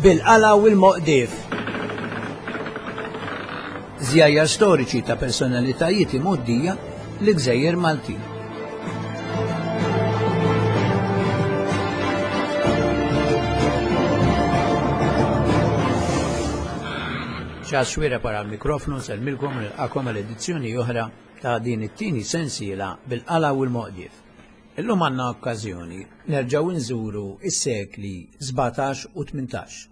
Bil-qala u l-moqdif. Żjajjar storiċi ta' personalitajiet imgħoddija l-Gżejjer Maltin. Charles Xuereb wara l-mikrofnu nsellmilkom u nilqakom għal edizzjoni oħra ta' din it-tieni sensiela bil-qala u l-moqdif. Illum għandna okkażjoni nerġgħu nżuru s-sekli 17 u 18.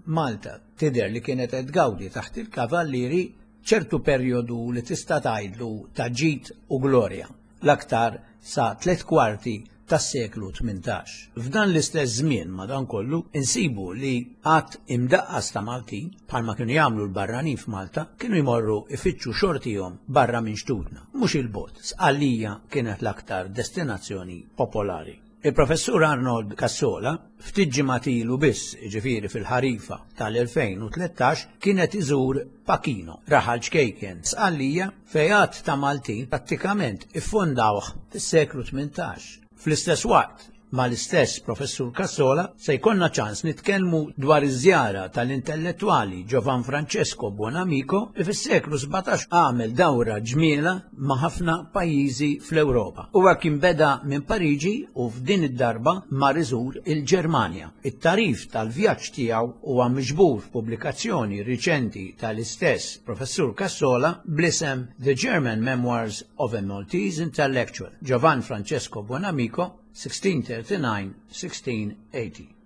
Malta tidher li kienet qed tgawdi taħt il-Kavallieri ċertu perjodu li tista' tgħidlu ta' ġid u glorja, l-aktar sa tlett kwarti tas-seklu 18. F'dan l-istess żmien, madankollu, insibu li għadd imdaqqas ta' Maltin, bħalma kienu jagħmlu l-barranin f'Malta, kienu jmorru jfittxu xortihom barra minn xtutna. Mhux 'il bogħod, Sqallija kienet l-aktar destinazzjoni popolari. Il-Professur Arnold Cassola, ftit ġimgħat ilu biss, jiġifieri fil-ħarifa tal-2013, kien qed iżur Pachino, raħal ċkejken Sqallija fejn għadd ta' Maltin prattikament iffondawh fis-seklu 18. Fl-istess waqt, mal-istess Professur Cassola se jkollna ċans nitkellmu dwar iż-żjara tal-intellettwali Giovan Francesco Buonamico li fis-seklu 17 għamel dawra ġmiela ma' ħafna pajjiżi fl-Ewropa. Huwa kien beda minn Pariġi u f'din id-darba mar iżur il-Ġermanja. It-tagħrif tal-vjaġġ tiegħu huwa miġbur f'pubblikazzjoni riċenti tal-istess Professur Cassola bl-isem The German Memoirs of a Maltese Intellectual, Giovan Francesco Buonamico, 1639-1680.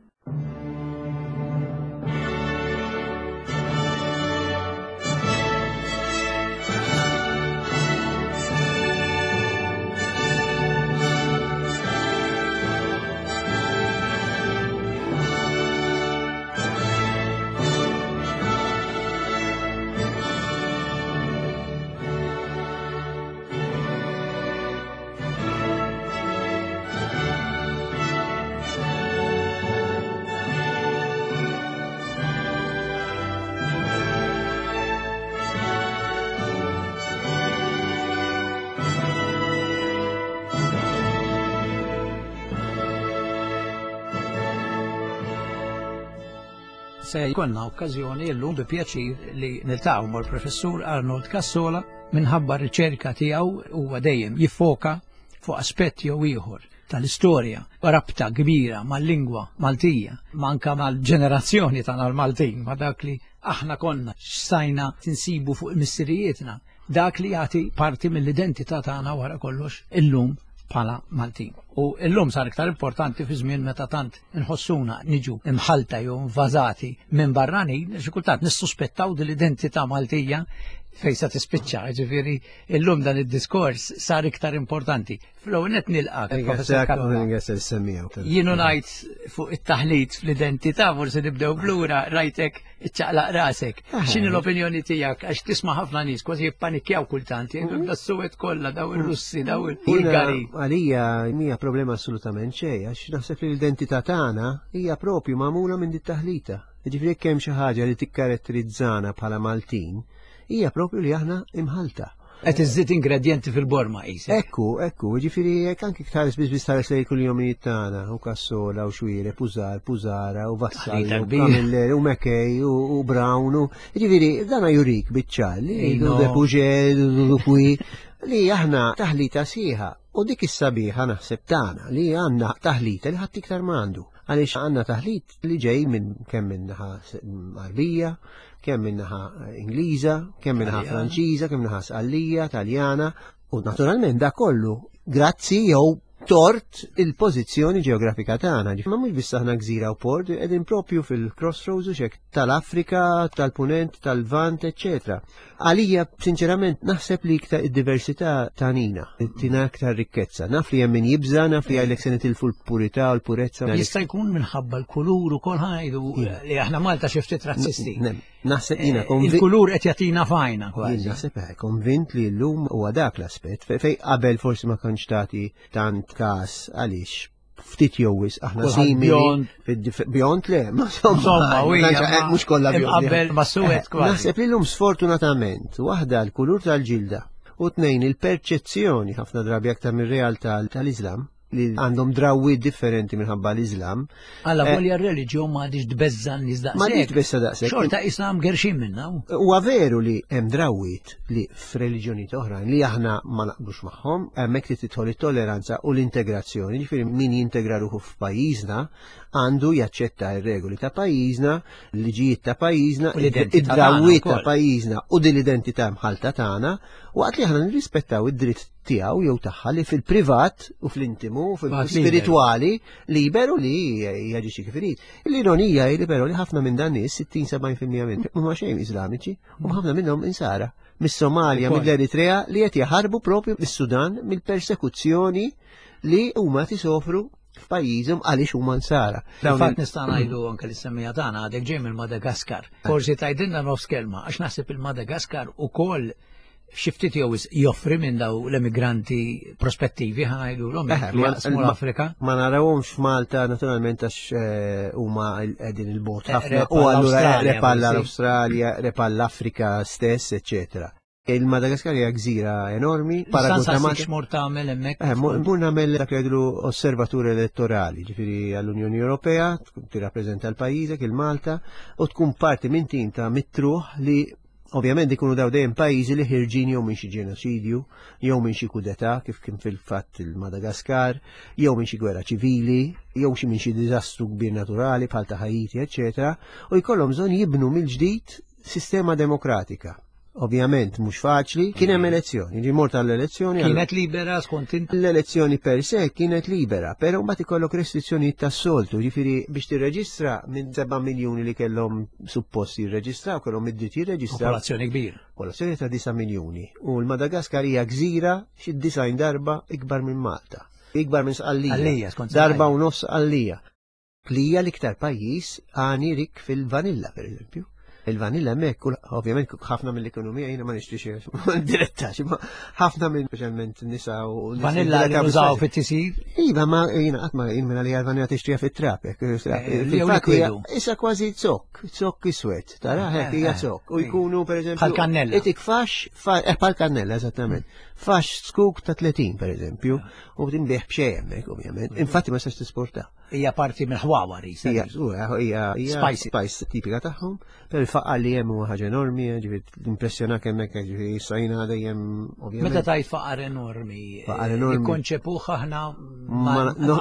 Se jkollna okkażjoni llum bi pjaċir li niltaqgħu mal-Professur Arnold Cassola minħabba r-riċerka tiegħu huwa dejjem jiffoka fuq aspett jew ieħor tal-istorja, rabta kbira mal-lingwa Maltija, ma anka mal-ġenerazzjoni tagħna l-Maltin, ma dak li aħna konna x'stajna tinsibu fuq missirijietna, dak li jagħti parti mill-identità tagħna wara kollox illum bħala Maltin. U illum sar iktar importanti fi żmien meta tant inħossuna niġu imħalta jew invażati minn barranin, xi kultant nissuspettaw din l-identità Maltija fejn se tispiċċa, ġifieri illum dan id-diskors sar iktar importanti. Fl-ewwel qed nilqak. Jienu ngħid fuq it-taħlit fl-identità forsi nibdew blura rajtek iċċaqlaq rasek. X'inhi l-opinjoni tiegħek għax tisma' ħafna nies kważi jippanikjaw kultant, jgħidu mm. das-suwed kollha daw ir-Russi, daw il-Bulgari. Għalija mija problema assolutament xejn għax naħseb li l-identità tagħna hija propju magħmula minn dit-taħlita. Ġifieri jekk hemm xi ħaġa li tikkaratterizzana bħala Maltin, hija propju li aħna imħalta. Qed iżżid ingredjenti fil-borma qisek. Ekku, ekku, ġifieri jekk anki tħares biss biss tħares lejn kull-jomijiet tagħna, u Kassola u Xwire, Pużar, Pużara u Vassalli u Camilleri u Mekej u Brown u ġifieri dana jurik biċ-ċar li de Puġel, Pui, li aħna taħlita sieħa u dik is-sabiħa naħseb tagħna li għandna taħlita li ħadd iktar ma għandu. Għaliex għandna taħlit li ġej minn kemm minn naħa Arbija, kemm minn naħa Ingliża, kemm minn naħa Franċiża, kemm naħa Sqallija, Taljana, u naturalment da kollu grazzi jew tort il-pożizzjoni ġeografika tagħna. Ma mhux biss aħna gżira u port, qegħdin propju fil-crossroads u xek tal-Afrika, tal-Punent, tal-Lvant, eċċetera. Għalija, sinċerament, naħseb li iktar id-diversità tanina, tina iktar rikkezza. Naf li hemm min jibża, naf li għalek se nitilfu l-purità u l-purezza. Jista' jkun minħabba l-kulur ukoll ħajdu li aħna Malta xi ftit razzisti. Naħseb jiena eh, konvint. Il-kulur qed jagħtina fajna kważi. Naħseb eh, konvint li llum huwa dak l-aspett fej qabel forsi ma kontx tagħti tant każ għaliex ftit jew wisq aħna simili bjond le, ma insomma, eh, mhux kollha bjond. Qabel ma suwed eh, kważi. Naħseb li llum sfortunatament waħda l-kulur tal-ġilda u tnejn il-perċezzjoni ħafna drabi aktar mir-realtà tal-Iżlam. li għandhom drawwiet differenti minħabba l-Iżlam. Alla eh, volja r-reliġjon ma għadix tbeżza n-nies daqshekk. Ma għadix tbeżza daqshekk. Xorta Islam gerxin minna. Huwa veru li hemm drawwiet li f'reliġjonijiet oħrajn li aħna ma naqblux magħhom, hemmhekk li tidħol it-tolleranza u l-integrazzjoni, ġifieri min jintegra ruħu f'pajjiżna għandu jaċċetta r-regoli ta' pajjiżna, l-liġijiet ta' pajjiżna, id-drawwiet ta' pajjiżna u din l-identità mħalta tagħna, waqt li aħna nirrispettaw id-dritt tiegħu jew tagħha li fil-privat u fl-intimu u fil-spiritwali liberu li jaġixxi kif irid. L-ironija hi li però li ħafna minn dan nies 60-70% minn huma xejn Iżlamiċi u ħafna minnhom insara mis-Somalja, mill-Eritrea li qed jaħarbu propju mis-Sudan mill-persekuzzjoni li huma tisofru f'pajjiżhom għaliex huma nsara. Fil-fatt nista' ngħidu anke li semmija tagħna għadek ġej mill-Madagaskar. Forsi tgħidilna nofs kelma għax naħseb il-Madagaskar ukoll xi ftit jew joffri minn daw l-emigranti prospettivi ħanajdulhom eh, li jaqsmu l-Afrika. Ma narawhomx f'Malta naturalment għax eh, huma qegħdin il-bot eh, ħafna u allura repalla l-Awstralja, repalla l-Afrika stess, eċċetera. Il-Madagaskar hija gżira enormi. Paragun ta' Malta. X'mur tagħmel hemmhekk? Eh, mur nagħmel dak li jgħidu osservatur elettorali, ġifieri għall-Unjoni Ewropea, tirrappreżenta l-pajjiżek, il-Malta, u tkun parti minn tim ta' mitruħ li ovvjament ikunu daw dejjem pajjiżi li ħirġin jew minn xi ġenoċidju, jew minn xi kudetà kif kien fil-fatt il-Madagaskar, jew minn xi gwerra ċivili, jew xi minn xi diżastru kbir naturali bħal ta' Haiti, eċetera, u jkollhom bżonn jibnu mill-ġdid sistema demokratika. Ovvjament mhux faċli, kien hemm elezzjoni, ġi mort għall-elezzjoni. Kienet libera skont int? L-elezzjoni per se kienet libera, però mbagħad ikollok restrizzjonijiet tas-soltu, ġifieri biex tirreġistra minn 7 miljuni li kellhom suppost jirreġistraw, kellhom id-dritt jirreġistraw. Popolazzjoni kbira. Popolazzjoni ta' 9 miljuni. U l-Madagaskar hija gżira xi design darba ikbar minn Malta. Ikbar minn Sqallija. Darba u nofs Sqallija. Li hija l-iktar pajjiż għani rik fil-vanilla, per eżempju. Il-vanilla hemmhekk, ovvjament ħafna mill-ekonomija jiena ma nixtrix diretta, ma ħafna minn speċjalment nisa u Vanilla li nużaw fit-tisir? Iva, ma jiena qatt ma jien minn għalija l-vanilla tixtriha fit-trap. Eh, issa kważi zokk, zokk iswed, tara eh, hekk hija eh, zokk. U jkunu pereżempju. Bħal kannella. Itik fax, bħal kannella eżattament. Fax skuk ta' 30 pereżempju, u tinbih b'xejn hemmhekk ovvjament. Infatti ma sax tisporta. Hija parti mill-ħwawar isa. Hija hija spice spice tipika tagħhom, però il-faqar li hemm huwa ħaġa enormi, ġifieri impressjonak hemmhekk ġifieri issa jiena dejjem ovvjament. Meta tajt faqar enormi, faqar enormi. Ikkonċepuh aħna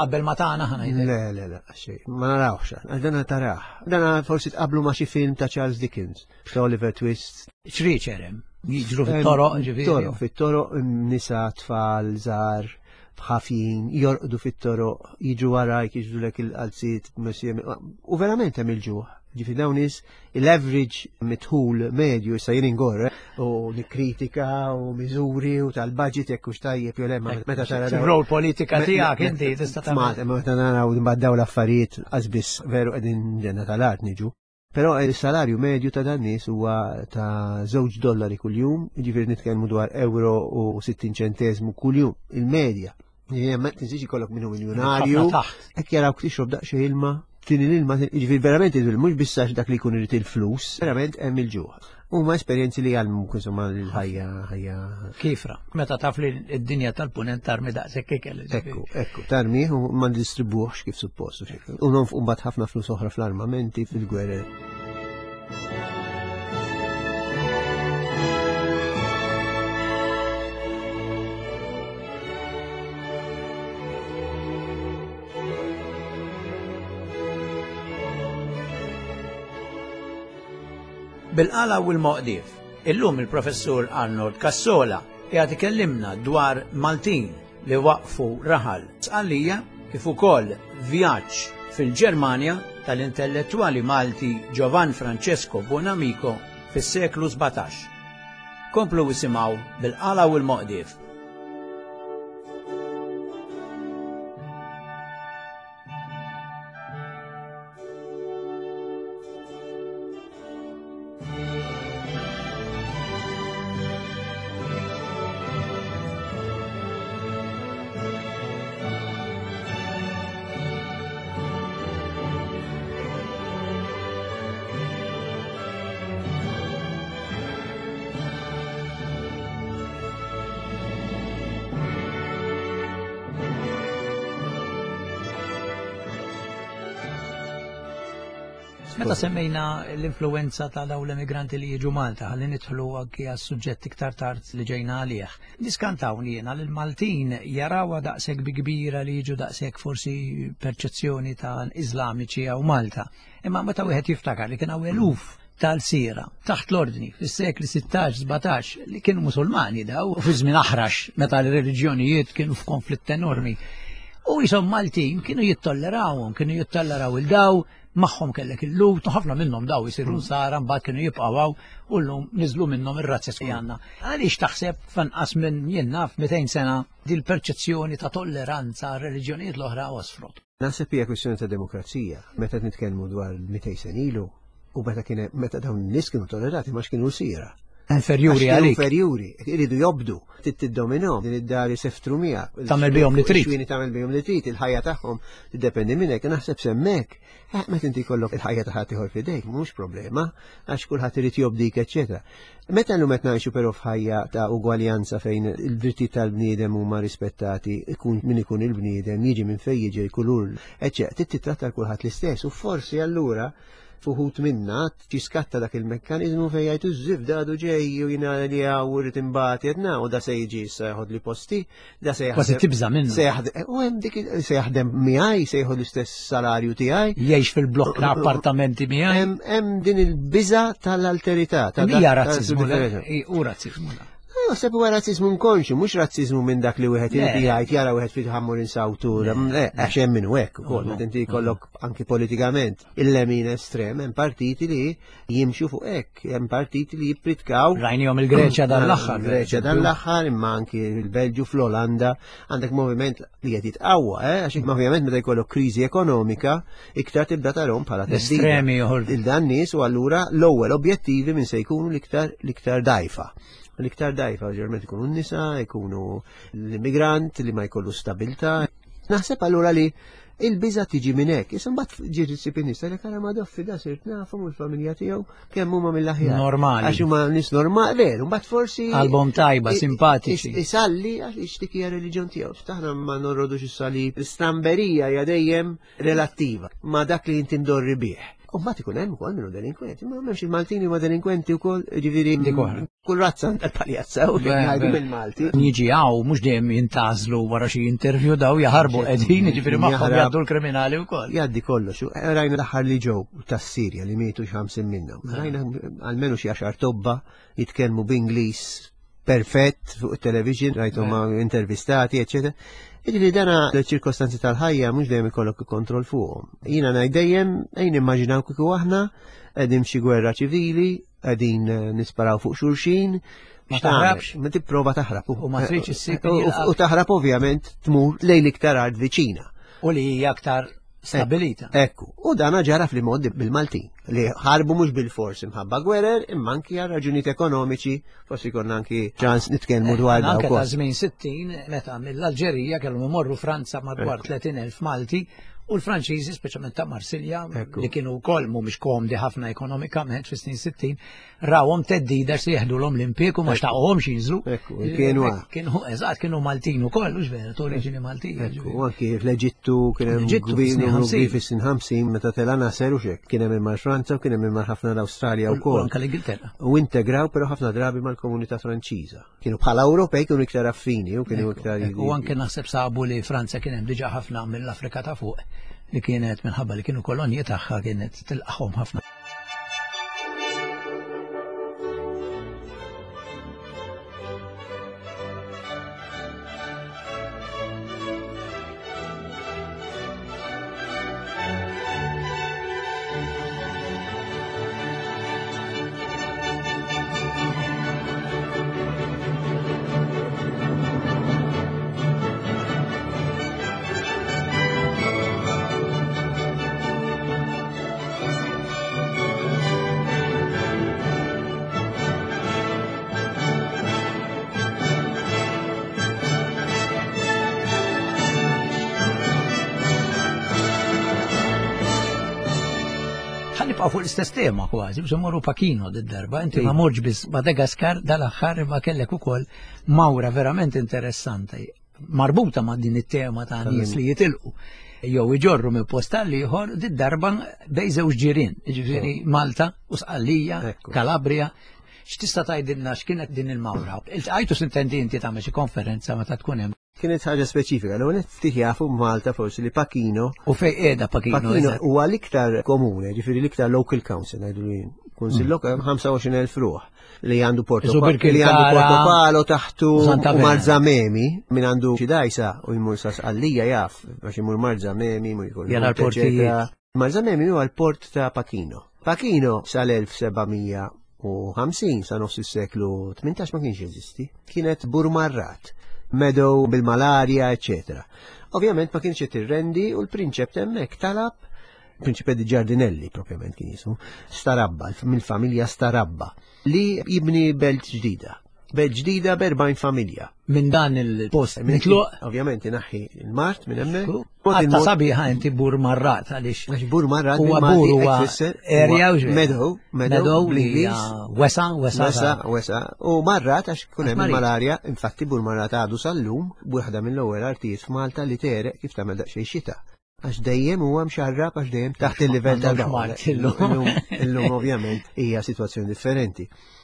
qabel ma tagħna aħna. Le, le, le, xejn, ma narawx, dana tarah. Dana forsi tqablu ma' xi film ta' Charles Dickens, ta' Oliver Twist. Ċriċer hemm, jiġru fit-toroq, ġifieri. Toroq, fit-toroq, nisa, tfal, żgħar ħafjin, jorqdu fit-toroq, jiġu warajk, jiġu lek il-qalziet, u verament hemm il-ġuħ. Ġifi dawn nies l-average mitħul medju issa jien ingorre u nikkritika u miżuri u tal-budget jekk hux tajjeb jew le meta tara rol politika tiegħek inti tista' tagħmel. Meta naraw mbagħad dawn l-affarijiet qasbiss veru qegħdin ġenna tal-art niġu. Però il-salarju medju ta' dan nies huwa ta' żewġ dollari kuljum, jiġifieri nitkellmu dwar euro u 60 ċenteżmu kuljum, il-medja. Ma tinsiex ikollok minnu miljonarju. Hekk jarawk tixrob daqsxejn ilma, tini l-ilma, jiġifieri verament mhux biss għax dak li jkun irid il-flus, verament hemm il-ġuħ. Huma esperjenzi li jgħallmuk insomma l-ħajja ħajja. Kifra, meta taf li d-dinja tal-punent tarmi daqshekk ikel. Ekku, ekku, tarmi u ma ndistribuhx kif suppost. U nonfqu mbagħad ħafna flus oħra fl-armamenti, fil-gwerer. Bil-qala u l-moqdief, illum il-Professur Arnold Cassola qiegħed ikellimna dwar Maltin li waqqfu raħal Sqallija kif ukoll vjaġġ fil-Ġermanja tal-intellettwali Malti Giovan Francesco Buonamico fis-seklu 17. Komplu isimgħu bil-qala u l-moqdief. Meta semmejna l-influenza ta' dawn l-emigranti li jiġu Malta, ħalli nidħlu anki għas-suġġett iktar tard li ġejna għalih. Niskantawni jiena li l-Maltin jarawha daqshekk bi kbira li jiġu daqshekk forsi perċezzjoni ta' Iżlamiċi hawn Malta. Imma meta wieħed jiftakar li kien hawn eluf tal-sira taħt l-ordni fis-sekli 16-17 li kienu musulmani daw u fi żmien aħrax meta l-reliġjonijiet kienu f'konflitt enormi. U jisom Maltin kienu jittollerawhom, kienu jittolleraw il-daw, magħhom kellek il-lut, u ħafna minnhom daw jisiru nsara mbagħad kienu jibqgħu hawn u llum niżlu minnhom ir-razzes li għandna. Għaliex taħseb f'anqas minn jien naf 200 sena dil-perċezzjoni ta' tolleranza għar-reliġjonijiet l-oħra għosfrot? Naħseb hija kwistjoni ta' demokrazija. Meta nitkellmu dwar 200 sena ilu u meta kien meta dawn in-nies kienu tollerati ma kienu sira. Inferjuri għalik. Inferjuri, iridu jobdu, trid tiddominhom, din id-dar jiseftru miegħek. Tagħmel bihom li trid. Xwini tagħmel bihom li trid, il-ħajja tagħhom tiddependi minnek, naħseb semmek. Eh, meta inti jkollok il-ħajja ta' ħadd ieħor f'idejk, mhux problema, għax kulħadd irid jobdik, eċċetera. Meta llum qed ngħixu però f'ħajja ta' ugwaljanza fejn il-drittijiet tal-bniedem huma rispettati, ikun min ikun il-bniedem, jiġi minn fejn jiġi l-kulur, eċċetera, trid titratta kulħadd l-istess u forsi allura fuħut minna tiskatta dak il-mekkanizmu fejn jgħidu żif għadu ġej u jiena li għaw rrid imbagħad jedna u da se jiġi issa jeħod li posti, da se jaħdem. Kważi tibża' minnu. Se jaħdem u hemm dik se jaħdem miegħi, se jieħu l-istess salarju tiegħi. Jgħix fil-blokk ta' appartamenti miegħi. Hemm din il-biża' tal-alterità. Hija razzizmu, u razzizmu. Naħseb huwa razzizmu nkonxu, mhux razzizmu minn dak li wieħed irid jgħid jara wieħed fil ħammur insawtu, għax hemm minn hekk ukoll, meta inti jkollok anki politikament il-lemin estrem, hemm partiti li jimxu fuq hekk, hemm partiti li jippritkaw. Rajnihom il-Greċja dan l-aħħar. Greċja dan l-aħħar, imma anki il-Belġju fl-Olanda għandek moviment li qed jitqawwa, eh, għax ovvjament meta jkollok kriżi ekonomika, iktar tibda tarhom bħala Estremi joħorġu. Il-dan nies u allura l-ewwel objettivi minn se jkunu l-iktar l-iktar dajfa. L-iktar dajfa ġerment ikunu n-nisa, ikunu l-immigrant li ma jkollu stabilta. Naħseb allura li il-biża tiġi minn hekk. Issa mbagħad ġiet issib in-nies li kara ma doffi da sirt nafhom u l-familja tiegħu kemm huma mill-aħjar. Normali. Għax huma nies normali, veru, mbagħad forsi Album tajba, simpatiċi. Isalli għax ixtik hija reliġjon tiegħu. Taħna ma norrodux is-salib. L-istramberija hija dejjem relattiva ma' dak li inti mdorri bih. U mbagħad ikun hemm ukoll minnu delinkwenti, ma m'hemmx il-Maltini huma delinkwenti wkoll, ġifieri kull razza għandha l-paljazza u ngħidu mill-Malti. Jiġi hawn mhux dejjem jintażlu wara xi interview daw jaħarbu qegħdin, jiġifieri magħhom jgħaddu l-kriminali wkoll. Jgħaddi kollox. Eh, rajna l-aħħar li ġew tas-Sirja li mietu xi 50 minnhom. Rajna almenu xi għaxar tobba jitkellmu b'Ingliż perfett fuq il-television, rajtu ma intervistati, eccetera. Jiġifieri dana l-ċirkostanzi tal-ħajja mhux dejjem ikollok kontroll fuqhom. Jiena ngħid dejjem ejn immaġinaw kieku aħna qegħdin f'xi gwerra ċivili, qegħdin eh, nisparaw fuq xulxin, Ma taħrabx? Ma tipprova taħrab. U ma tridx issib. U taħrab ovvjament tmur lejn iktar art viċina. U li hija aktar stabilita. Ekku, u dana ġara fl-modi bil-Maltin, li ħarbu mhux bil-fors imħabba gwerer, imma anki għal raġunijiet ekonomiċi, forsi konna anki ċans nitkellmu dwar dan. Anke ta' żmien 60, meta mill-Alġerija kellhom imorru Franza madwar 30,000 Malti, u l-Franċiżi, speċjalment ta' Marsilja, li kienu wkoll mhumiex komdi ħafna ekonomikament fis-snin 60, rawhom theddida se jeħdulhom l-impjieg u ma xtaqhomx jinżlu. Ekku, kienu kienu eżatt kienu Maltin ukoll, hux vera, ta' oriġini Maltija. Ekku, anki fl-Eġittu kien hemm gvern fis-snin 50 meta tela Nasser u xek, kien hemm imma Franza u kien hemm imma ħafna l-Awstralja wkoll. Anke l-Ingilterra. U integraw però ħafna drabi mal-komunità Franċiża. Kienu bħala Ewropej kienu iktar affini u kienu iktar. U anke naħseb sabu li Franza kien hemm diġà ħafna mill-Afrika ta' fuq li kienet minħabba li kienu kolonji tagħha kienet tilqahom ħafna. Ħanibqa' fuq l-istess tema kważi, biex morru Pachino d-darba, inti ma morġ biss Madagaskar dal-aħħar imma kellek ukoll mawra verament interessanti marbuta ma' din it-tema ta' nies li jitilqu. jew iġorru minn post għal ieħor did-darba bejn żewġ ġirien, jiġifieri Malta u Sqallija, Kalabria. X'tista' tgħidilna x'kienet din il-mawra? Iltqajtu sintendi inti tagħmel xi konferenza meta tkun hemm. Kienet ħaġa speċifika, l ftit jafu Malta forsi li Pachino. U fej qiegħda Pachino? Pachino huwa l-iktar komune, ġifieri l-iktar local council ngħidu li kunsill mm. lokal 25,000 ruħ li għandu Porto li għandu Portopalo taħtu u Marzamemi min għandu xi dajsa u jmur sa Sqallija jaf għax imur Marzamemi jmur jkun. Jara l-portijiet. Marzamemi huwa l-port ta' Pachino. Pachino sal-1750 sa nofs is-seklu 18 ma kienx jeżisti. Kienet burmarrat, meadow bil-malarja, eccetera. Ovvjament ma kienx qed irrendi u l-prinċep hemmhekk talab Prinċipe di Giardinelli propjament kien jismu, Starabba, mill-familja Starabba, li jibni belt ġdida. Belt ġdida b'erbajn familja. Minn dan il-post mitluq. Ovvjament inaħħi il-mart minn hemmhekk. Għatta sabiħa inti bur marrat għaliex. Għax bur marrat huwa bur huwa area u meadow, meadow bl-Ingliż. Wesa, wesa. Wesa, wesa. U marrat għax kun hemm il-malarja, infatti bur marrat għadu sal-lum, waħda mill-ewwel artijiet f'Malta li tereq kif tagħmel daqsxejn xita. Għax dejjem huwa mxarrab għax dejjem taħt il-livell tal-baħar. Illum ovvjament hija sitwazzjoni differenti.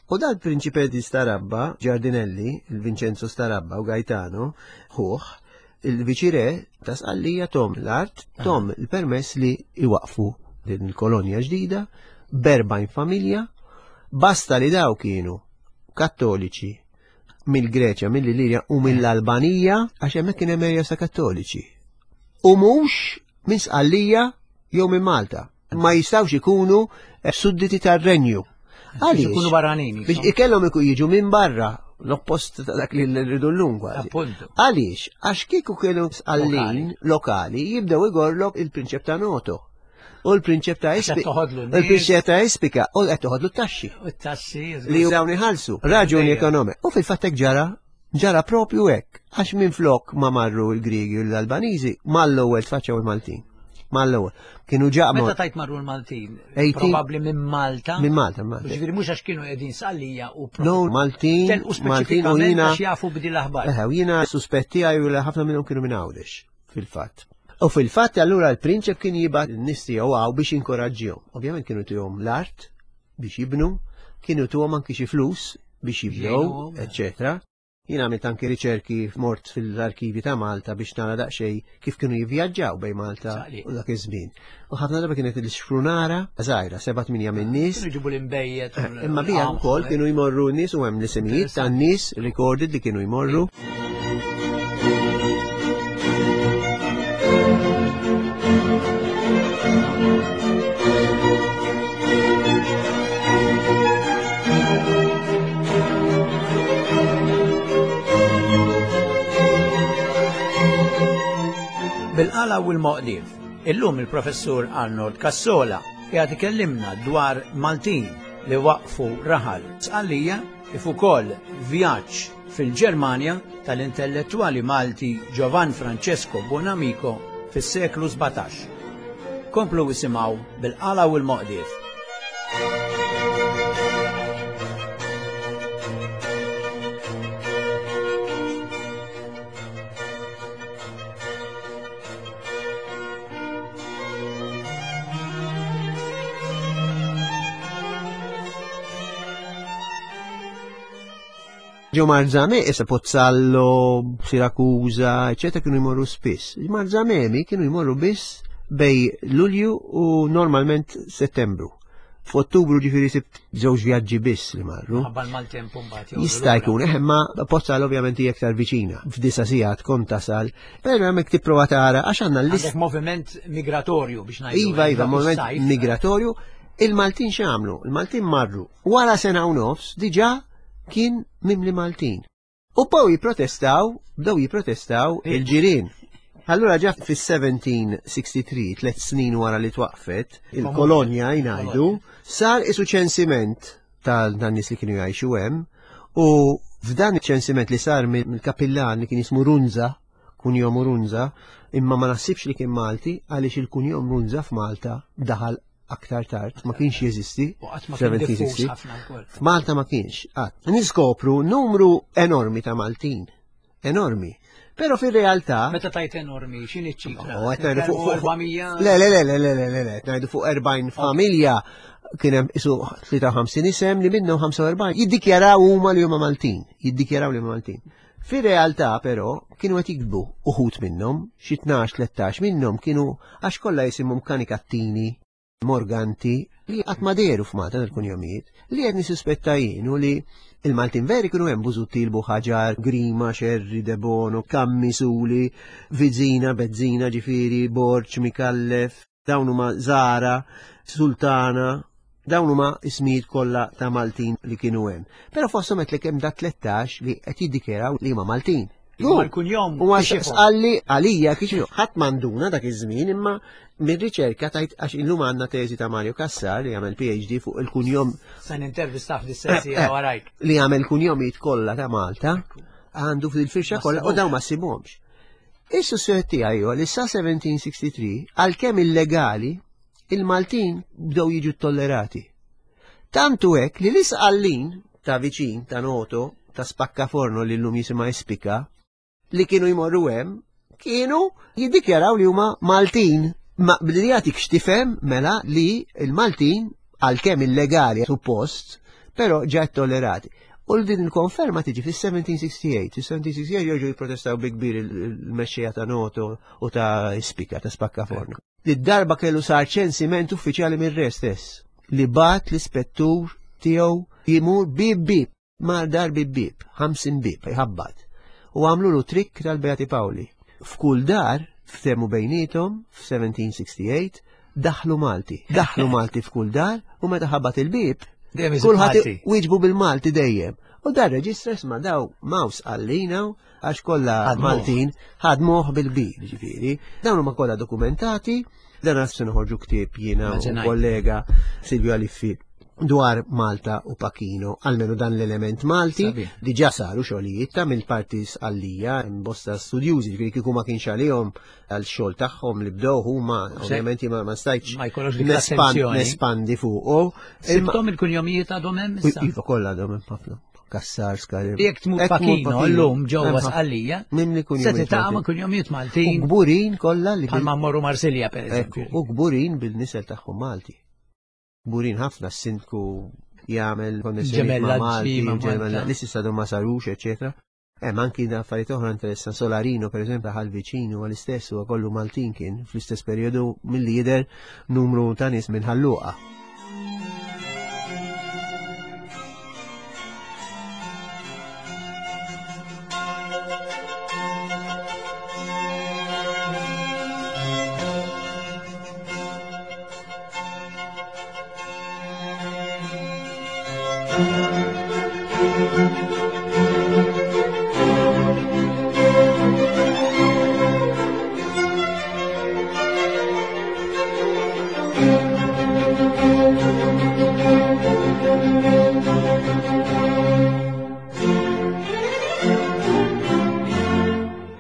U dal prinċipe di Starabba, Giardinelli, il-Vincenzo Starabba u Gaetano, ħuħ, il-viċire ta' Sqallija tom l-art, tom il-permess li iwaqfu din il-kolonja ġdida, berbajn familja, basta li daw kienu kattoliċi mill-Greċja, mill-Ilirja u mill-Albanija, għax hemmhekk kien hemm erja sa kattoliċi. U mhux minn Sqallija jew minn Malta. Ma jistgħux ikunu eh, sudditi tar-renju. Għaliex? Ikunu barranin. Biex ikellhom ikun jiġu minn barra l-oppost ta' dak li rridu llum kważi. Għaliex? Għax kieku kienu Sqallin lokali jibdew igorlok il-prinċep ta' Noto u l-prinċep ta' Espika. Il-prinċep ta' Espika u qed toħodlu t-taxxi. U t-taxxi. Li dawn iħallsu. Raġuni ekonomika. U fil-fatt hekk ġara Ġara propju hekk, għax minflok ma marru l-Griegi u l-Albaniżi, mal-ewwel tfaċċaw il-Maltin. Mal-ewwel. Kienu ġaqmu. Meta tajt marru l-Maltin? Probabbli minn Malta. Minn Malta, Malta. Ġifieri mhux għax kienu qegħdin Sqallija u No, Maltin, Maltin u jiena. jafu b'di l-aħbar. Eħe, u jiena suspetti għaj li ħafna minnhom kienu minn Għawdex, fil-fatt. U fil-fatt allura l-prinċep kien jibgħat n-nies tiegħu għaw biex inkoraġġihom. Ovvjament kienu tihom l-art biex jibnu, kienu tuhom anki xi flus biex jibdew, eccetera. Jien għamilt anki riċerki mort fil-arkivi ta' Malta biex nara daqsxejn kif kienu jivvjaġġaw bejn Malta u dak iż-żmien. U ħafna darba kienet il-xfrunara żgħira, seba' tminja minn nies. Kienu jġibu l-imbejjed. Eh, imma bija wkoll kienu jmorru nies u hemm l-isemijiet tan-nies recorded li kienu jmorru. Bil-qala u l-moqdif, illum il-professur Arnold Cassola qiegħed ikellimna dwar Maltin li waqfu raħal Sqallija kif ukoll vjaġġ fil-Ġermanja tal-intellettwali Malti Giovan Francesco Buonamico fis-seklu 17. Komplu isimgħu bil-qala u l-moqdif. Ġo Marzame, issa Pozzallo, Siracusa, eccetera, kienu jmorru spiss. Marzamemi kienu jmorru biss bej Lulju u normalment Settembru. F'Ottubru ġifieri sibt żewġ vjaġġi biss li marru. Ħabba l-maltemp mbagħad. Jista' jkun, eh, imma Pozzallo ovvjament hija aktar viċina. F'disa sigħat kont tasal, però hemmhekk tipprova tara għax għandna l-list. Moviment migratorju biex ngħidu. Iva, iva, moviment migratorju. Il-Maltin x'għamlu? Il-Maltin marru. Wara sena u nofs diġà kien mimli Maltin. U bdew jipprotestaw, bdew jipprotestaw il-ġirien. Allura ġa fis-1763, tlet snin wara li twaqfet, il-kolonja jngħidu, sar isu ċensiment tal-nies li kienu jgħixu hemm u f'dan iċ-ċensiment li sar mill-kapillan li kien jismu Runza, kunjom Runza, imma ma naħsibx li kien Malti għaliex il-kunjom Runza f'Malta daħal aktar tard, ma kienx jeżisti. F'Malta ma kienx. Qatt. Niskopru numru enormi ta' Maltin. Enormi. Però fir-realtà. Meta tajt enormi, x'inhi ċ-ċifra? Oh, qed ngħidu fuq 400. Le, le, le, le, le, le, le, qed ngħidu fuq 40 familja kien hemm isu 53 isem li minnhom 45 jiddikjaraw huma li huma Maltin, jiddikjaraw li huma Maltin. Fir-realtà però kienu qed jikbu uħud minnhom, xi 12-13 minnhom kienu għax kollha jisimhom Kanikattini, Morganti li qatt ma dehru f'Malta dal-kunjomijiet, li qed nissuspetta jien hu li il-Maltin veri kienu hemm Busuttil, Buħaġar, Grima, Xerri, Debono, Kammi, Suli, Vizina, Bezzina, ġifieri, Borġ, Mikallef, dawn huma Zara, Sultana, dawn huma ismijiet kollha ta' Maltin li kienu hemm. Però fosthom qed hemm da 13 li qed jiddikjaraw li huma Maltin. Mal-kunjom. U għax sqalli għalija kif ħadd manduna dak iż-żmien imma mir-riċerka tajt għax illum għandna teżi ta' Mario Cassar li għamel PhD fuq il-kunjom. Se nintervista f'dis-sensi eh, eh, warajk. Li għamel kunjomijiet kollha ta' Malta għandu fil-firxa kollha u dawn ma ssibhomx. Is-suspett tiegħi huwa li sa 1763 għalkemm illegali il-Maltin bdew jiġu tollerati. Tantu hekk li l-Isqallin ta' viċin ta' Noto ta' Spaccaforno li llum jisimha Ispika li kienu jmorru hemm kienu jiddikjaraw li huma Maltin. Ma billi jagħtik x'tifhem mela li l-Maltin għalkemm illegali suppost, però ġa tollerati. U din il-konferma tiġi fis-1768. Fis-1768 jerġgħu jipprotestaw bi kbir il-mexxejja ta' Noto u ta' Ispika ta' Spaccaforno. Li darba kellu sar ċensiment uffiċjali mir-re stess li bat l-ispettur tiegħu jimur bib bib mar dar bib bib, 50 bib, jħabbat. U għamlu lu trikk tal-Beati Pawli. F'kull dar, ftemu bejnietom, f'1768, daħlu Malti. Daħlu Malti f'kull dar u meta ħabbat il-bib, kulħadd wieġbu bil-Malti dejjem. U dar reġistra isma' daw maws għallina għax kollha Maltin ħadmuh bil-kbir, ġifieri. Dawn huma kollha dokumentati, dan għas se noħorġu ktieb jiena u kollega Silvio Aliffi dwar Malta u Pachino, almenu dan l-element Malti, diġa saru xogħlijiet ta' mill-parti sqallija, bosta studjużi, ġifieri kieku ma kienx għalihom għal xogħol tagħhom li bdew huma ovvjament ma stajtx nespandi fuqu. Sibtom il-kunjomijiet għadhom hemm issa? Iva kollha għadhom hemm ħafna. Kassar, skar. Jekk tmur Pachino llum ġewwa Sqallija, se tiltaqa' ma' kunjomijiet Maltin. U kburin kollha li bħalma mmorru Marsilja pereżempju. U kburin bil-nisel tagħhom Malti. Kburin ħafna s-sindku jagħmel konnessjoni ma' Malti, ġemella li s'issa ma sarux, eċetera. Hemm anki affarijiet oħra interessanti. Solarino, per eżempju, ħal viċin huwa l-istess huwa kollu Maltin kien fl-istess perjodu milli jidher numru ta' nies minn Ħalluqa.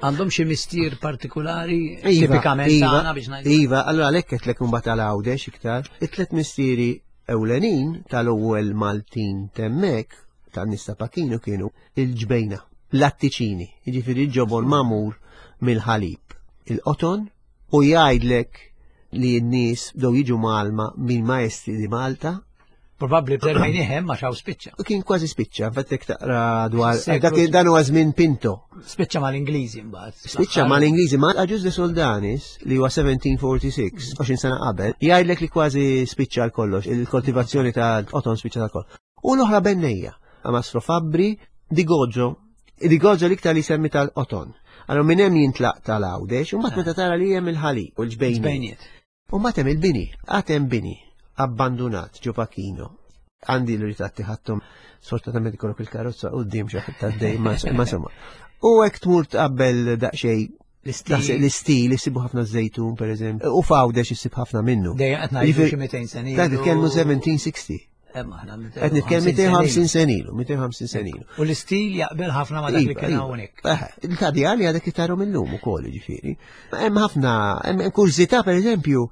Għandhom xi mistier partikolari iva, tipikament iva, tagħna biex ngħidu. Iva, allura għalhekk qed lek imbagħad għal Għawdex iktar. It-tliet mistieri ewlenin tal-ewwel Maltin temmek tan-nies ta' Pachino kienu il-ġbejna, l-attiċini, jiġifieri l-ġobon magħmul mill-ħalib, il-qoton u jgħidlek li n-nies bdew jiġu mgħallma minn maestri di Malta. Probabbli b'termini hemm għax hawn spiċċa. Kien kważi spiċċa, infatti jekk taqra dwar dak dan huwa żmien Pinto. Spiċċa mal-Ingliżi mbagħad. Spiċċa mal-Ingliżi ma Agius de Soldanis li huwa 1746, 20 sena qabel, jgħidlek li kważi spiċċa l kollox, il-koltivazzjoni ta' qoton spiċċa ta' kollox. U l-oħra bennejja, Mastro Fabbri, Di Goggio, Di Goggio l-iktar li semmi tal-qoton. Allora minn hemm jintlaq tal-Għawdex, u mbagħad meta tara li hemm il-ħalib u l-ġbejniet. U mbagħad hemm il-bini, għad hemm bini abbandunat ġo Pachino. Għandi l-ritratti ħadthom, sfortunatament ikollok il-karozza quddiem xi ħadd għaddej, ma insomma. U hekk tmur tqabbel daqsxejn l-istil, jisibu ħafna żejtun, per eżempju, u f'Għawdex jisib ħafna minnu. Dejjem qed ngħidu xi 200 sena. Qed nitkellmu 1760. Qed nitkellmu 250 sena ilu, 250 sena ilu. U l-istil jaqbel ħafna ma dak li iva, kien iva. hawnhekk. Il-tabija li għadek itaru mill-lum ukoll, ġifieri. Hemm ħafna, hemm kurżità pereżempju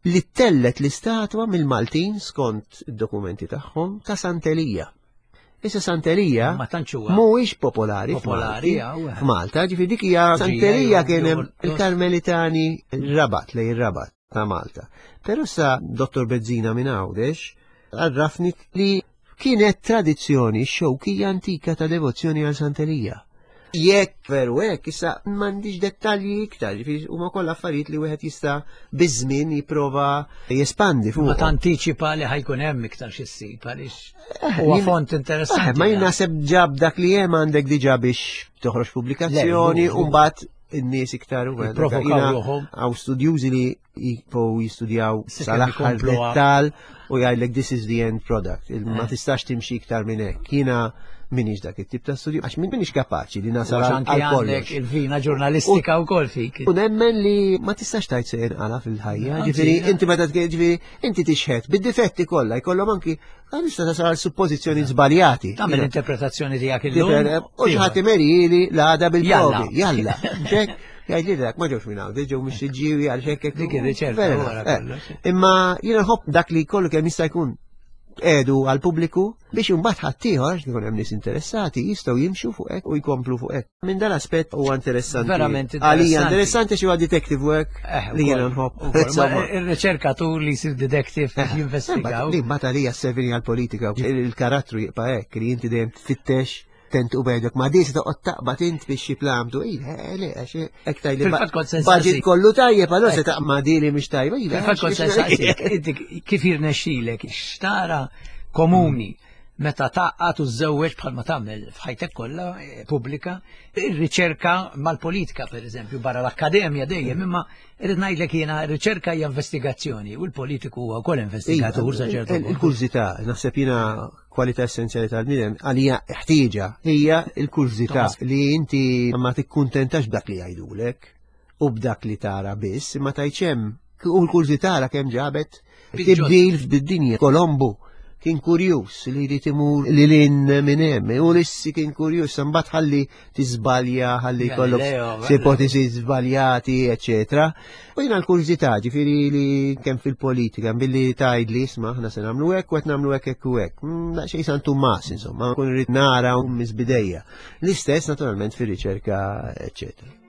li tellet l-istatwa mill-Maltin skont id-dokumenti tagħhom ta' Santelija. Issa Santerija Ma tantx huwa mhuwiex popolari Popolari, hawn, eh. f'Malta, ġifieri dik hija Santerija kien hemm il-Karmelitani Rabat lej ir-Rabat ta' Malta. Però sa Dottor Bezzina minn Għawdex għarrafni li kienet tradizzjoni xewkija antika ta' devozzjoni għal Santerija. Jekk veru hekk, issa m'għandix dettalji iktar, ġifieri huma kollha affarijiet li wieħed jista' biż-żmien jipprova jespandi fuq. Ma tantiċipa li ħajkun hemm iktar xi ssib għaliex eh, huwa font interessanti. Eh, ma jien naħseb ġab dak li hemm għandek diġà biex toħroġ pubblikazzjoni u mbagħad in-nies iktar u Għaw studjużi li jibqgħu jistudjaw sal-aħħar dettal u jgħidlek this is the end product. Ma eh. tistax timxi iktar minn hekk. Jiena minix dak it-tip ta' studju, għax minix kapaċi li nasal għal kollox. Il-vina ġurnalistika u kol fik. U nemmen li ma tistax tajt se jinqala fil-ħajja, ġifieri inti meta ġifieri inti tixħet bid-difetti kollha jkollhom anki għal tista' tasal għal suppożizzjoni żbaljati. Tagħmel interpretazzjoni tiegħek illum. U xi ħadd imerili l-għada bil-provi. Jalla. Jgħid li dak ma ġewx minn hawn, ġew minn xiġġiewi għal xekk. Dik ir-riċerka eh. Imma jiena nħobb dak li kollu kemm jista' jkun edu għal pubbliku biex imbagħad ħaddieħor għax ikun hemm nies interessati jistgħu jimxu fuq hekk u jkomplu fuq hekk. Minn dan aspett huwa interessanti. Verament interessanti. Għalija interessanti xi huwa detective work eh, li jiena nħobb. Ir-riċerkatur li jsir detective eh, jinvestigaw. Li mbagħad għalija servini għall-politika il-karattru jibqa' hekk li inti dejjem tfittex tent u bejnek ma dis toqgħod taqbad int biex xi plamtu, ila, eh, le, għax hekk tajli. Budget kollu tajjeb, allura se taqma dili mhix tajba. Fil-fatt kont sensaqsik, inti kif jirnexxilek xtara komuni meta taqqat u żewweġ bħalma tagħmel f'ħajtek kollha eh, pubblika, ir-riċerka mal-politika pereżempju barra l-akkademja dejjem imma irrid ngħidlek jiena r-riċerka hija investigazzjoni u l-politiku huwa wkoll investigatur sa ċertu. Il-kurżità, naħseb jiena kwalità essenzjali tal-bniedem għalija ħtieġa hija l-kurżità li inti ma tikkuntentax b'dak li jgħidulek u b'dak li tara biss, imma tgħidx hemm u l-kurżità ra kemm ġabet tibdil fid-dinja. Kolombu kien kurjuż li jrid imur lil hinn minn hemm. Ulissi kien kurjuż, imbagħad ħalli tiżbalja, ħalli jkollok ipotezi żbaljati, eċetera. U jiena l-kurżità, ġifieri li kemm fil-politika, billi tgħidli isma' aħna se nagħmlu hekk u qed nagħmlu hekk hekk u hekk. Mm, daqsxejn San Tumas, insomma, kun irid nara u misbidejja. L-istess naturalment fir-riċerka, eċetera.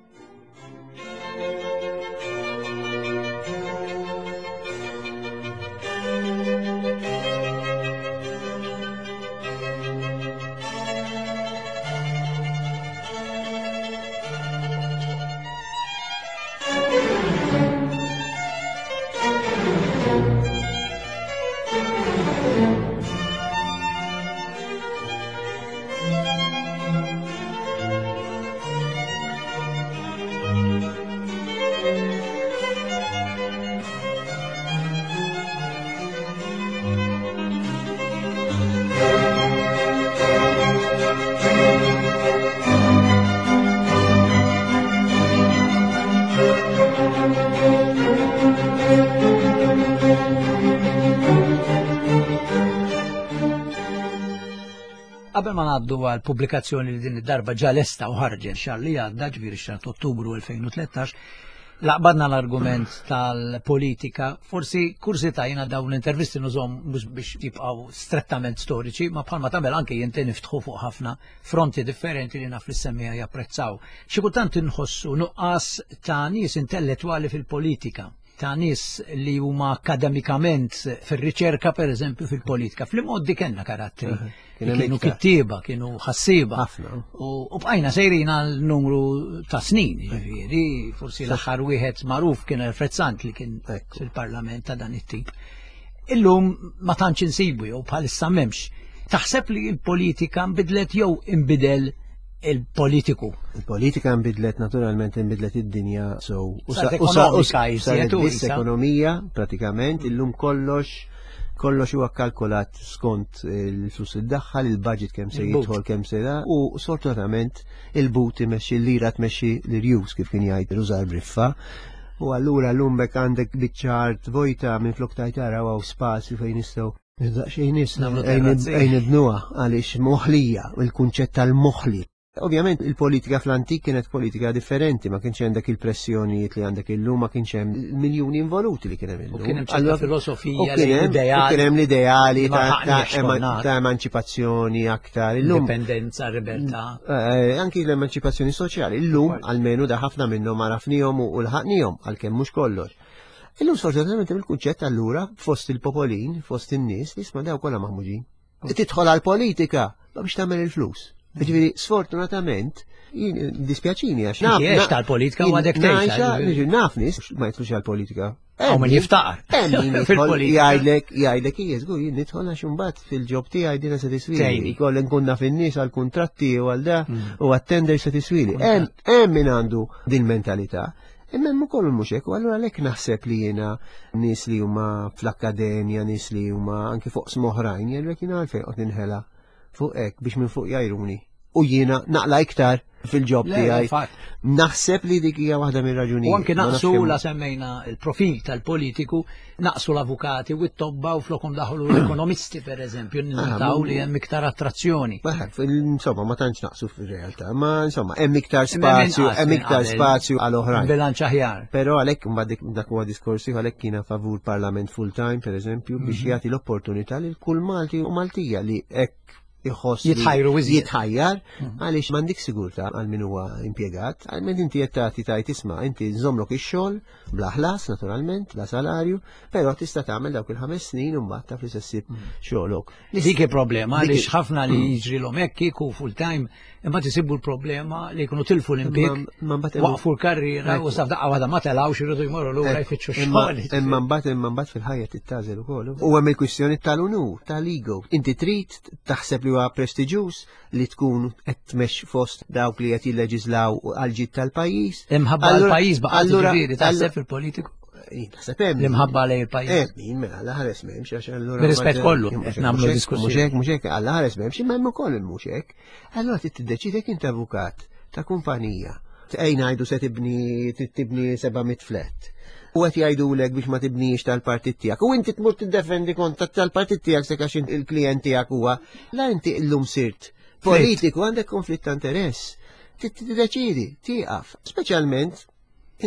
Qabel ma ngħaddu għal pubblikazzjoni li din id-darba ġa lesta u ħarġet xahar li għadda, ġifieri xahar ta' Ottubru 2013, laqbadna l-argument tal-politika, forsi kursità jiena dawn l-intervisti nużhom mhux biex jibqgħu strettament storiċi, ma bħalma tagħmel anke jinti niftħu fuq ħafna fronti differenti li naf li semmija japprezzaw. Xi kultant inħossu nuqqas ta' nies intellettwali fil-politika ta' nies li huma akademikament fir-riċerka pereżempju fil-politika. Fl-imgħoddi kellna karattri. Kienu kittieba, kienu ħassieba. U bqajna sejrin għal numru ta' snin, ġifieri, forsi l-aħħar wieħed magħruf kien Alfred Sant li kien fil-parlament ta' dan it-tip. Illum ma tantx insibu jew bħalissa m'hemmx. Taħseb li l-politika nbidlet jew inbidel il-politiku? Il-politika nbidlet naturalment nbidlet id-dinja so u saret biss ekonomija pratikament illum kollox kollox huwa kalkulat skont il-flus id-daħħal, il-budget kemm se jidħol kemm se da, u sfortunatament il-but imexxi l-lira tmexxi l-irjus kif kien jgħid Rużar Briffa. U allura l-lum bekk għandek biċċa art vojta minn flok tajt ara hawn spazju fejn nistgħu Daqsxejn nies ejn ibnuha għaliex moħlija, il-kunċett tal-moħli. Ovvjament il-politika fl-antik kienet politika differenti, ma kienx hemm dak il-pressjonijiet li għandek illum, ma kienx hemm miljuni involuti li kien hemm illum. U kien hemm ċerta filosofija, li kien hemm l-ideali ta' emanċipazzjoni aktar. Illum indipendenza, libertà. Eh, anki l-emanċipazzjoni soċjali. Illum almenu da ħafna minnhom għarafnihom u lħaqnihom għalkemm mhux kollox. Illum sfortunatament il-kunċett allura fost il-popolin, fost in-nies, nisma' daw kollha maħmuġin. Tidħol għal-politika, ma biex tagħmel il-flus. Ġifieri, sfortunatament, jien dispjaċini għax naf. Għex tal-politika u għadek tgħix. Naf nies ma jidħlux għal-politika. Hawn min jiftaqar. Fil-politika. Jgħidlek, jgħidlek, hija żgur jien nidħol għax imbagħad fil-ġob tiegħi dina se tiswili. Jkollha nkun naf in-nies għall-kuntratti u għal da mm. u għat-tender se tiswili. Hemm min għandu din mentalità. Imma hemm ukoll mhux hekk, u allura għalhekk naħseb li jiena nies li huma fl-akkademja, nies li huma anki fuq smoħrajn, jgħidlek jiena għalfejn qed ninħela fuq hekk biex minn fuq jgħajruni. U jiena naqla iktar fil-ġob tiegħi. Naħseb li dik hija waħda mir-raġunijiet. U anke naqsu la semmejna il-profil tal-politiku, naqsu l-avukati u t-tobba u flokom daħlu l-ekonomisti per eżempju, ninnotaw ah, li hemm iktar attrazzjoni. Insomma, ma tantx naqsu fir-realtà, ma insomma, hemm iktar spazju, hemm iktar spazju għal oħrajn. Bilanċ aħjar. Però għalhekk mbagħad dak huwa diskorsi għalhekk kiena favur parlament full time per eżempju biex mhm. jagħti l-opportunità lil kull Malti u Maltija li hekk iħoss jitħajru jitħajjar mhm. għaliex m'għandek sigurtà għal min huwa impjegat, għal min inti qed tagħti tajt isma' inti nżommlok ix-xogħol bla ħlas naturalment, bla salarju, però tista' tagħmel dawk il-ħames snin u mbagħad taf li se ssib mhm. xogħlok. Dik il-problema għaliex ħafna li mhm. jiġrilhom hekk kieku full time imma tisibu l-problema li jkunu tilfu l-impjieg, waqfu l-karriera u sa f'daqqa waħda ma telgħux iridu jmorru lura jfittxu xogħol. Imma mbagħad imma mbagħad fil-ħajja tittażel ukoll. U hemm il-kwistjoni tal-unur, tal-ego. Inti trid taħseb li huwa prestiġjuż li tkun qed tmexx fost dawk li qed jilleġislaw għal ġid tal-pajjiż. Imħabba għall-pajjiż baqa' ġifieri taħseb fil-politiku. Naħseb hemm. L-imħabba lejn il-pajjiż. Eh, min mela alla ħares m'hemmx għax allura. Rispett kollu qed nagħmlu diskussjoni. Mhux hekk, mhux hekk, alla ħares m'hemmx, imma hemm ukoll mhux hekk. Allura trid tiddeċidi jekk int avukat ta' kumpanija. Ej ngħidu se tibni tibni 700 flat. U qed jgħidulek biex ma tibnix tal-partit tiegħek. U inti tmur tiddefendi kont tal-partit tiegħek se għax il-klijent tiegħek huwa. La inti llum sirt politiku għandek konflitt ta' interess. Tiddeċidi, tieqaf. Speċjalment